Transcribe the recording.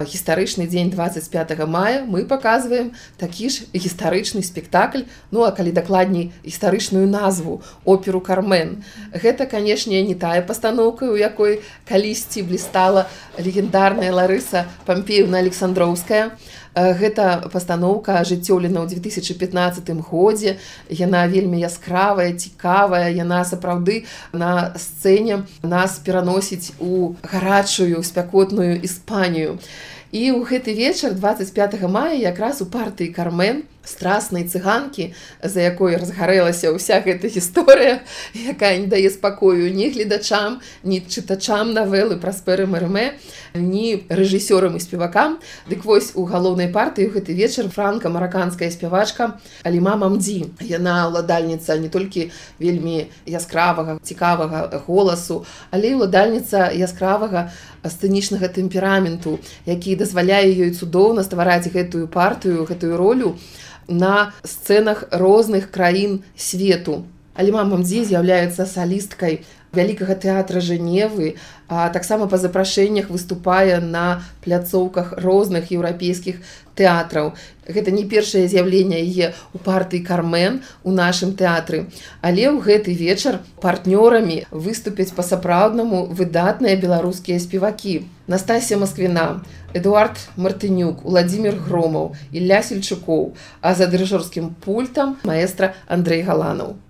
гістарычны дзень 25 мая мы паказваем такі ж гістарычны спектакль, ну а калі дакладней гістарычную назву оперу «Кармен». Гэта, канешне, не тая пастаноўка, у якой калісьці блістала легендарная Ларыса Пампеевна Александроўская. Гэта пастаноўка ажыццёўлена ў 2015 годзе. Яна вельмі яскравая, цікавая, яна сапраўды на сцэне нас пераносіць у гарачую, спякотную Іспанію. І ў гэты вечар 25 мая якраз у партыі «Кармен», страснай цыганкі, за якой разгарэлася ўся гэта гісторыя, якая не дае спакою ні гледачам, ні чытачам навелы Праспера Мэрэмэ, ні рэжысёрам і спевакам. Дык вось у галоўнай партыі ў гэты вечар франка-мараканская спявачка Аліма Мамді. Яна ўладальніца не толькі вельмі яскравага, цікавага голасу, але і ўладальніца яскравага сцэнічнага тэмпераменту, які дазваляе ёй цудоўна ствараць гэтую партыю, гэтую ролю на сцэнах розных краін свету. Аліма Мамді з'яўляецца салісткай Вялікага тэатра Жэневы, а таксама па запрашэннях выступае на пляцоўках розных еўрапейскіх тэатраў. Гэта не першае з'яўленне яе ў партыі «Кармен» у нашым тэатры. Але ў гэты вечар партнёрамі выступяць па-сапраўднаму выдатныя беларускія спевакі. Настасія Масквіна, Эдуард Мартынюк, Уладзімір Громаў, Ілля Сельчукоў, а за дырыжорскім пультам маэстра Андрэй Галанаў.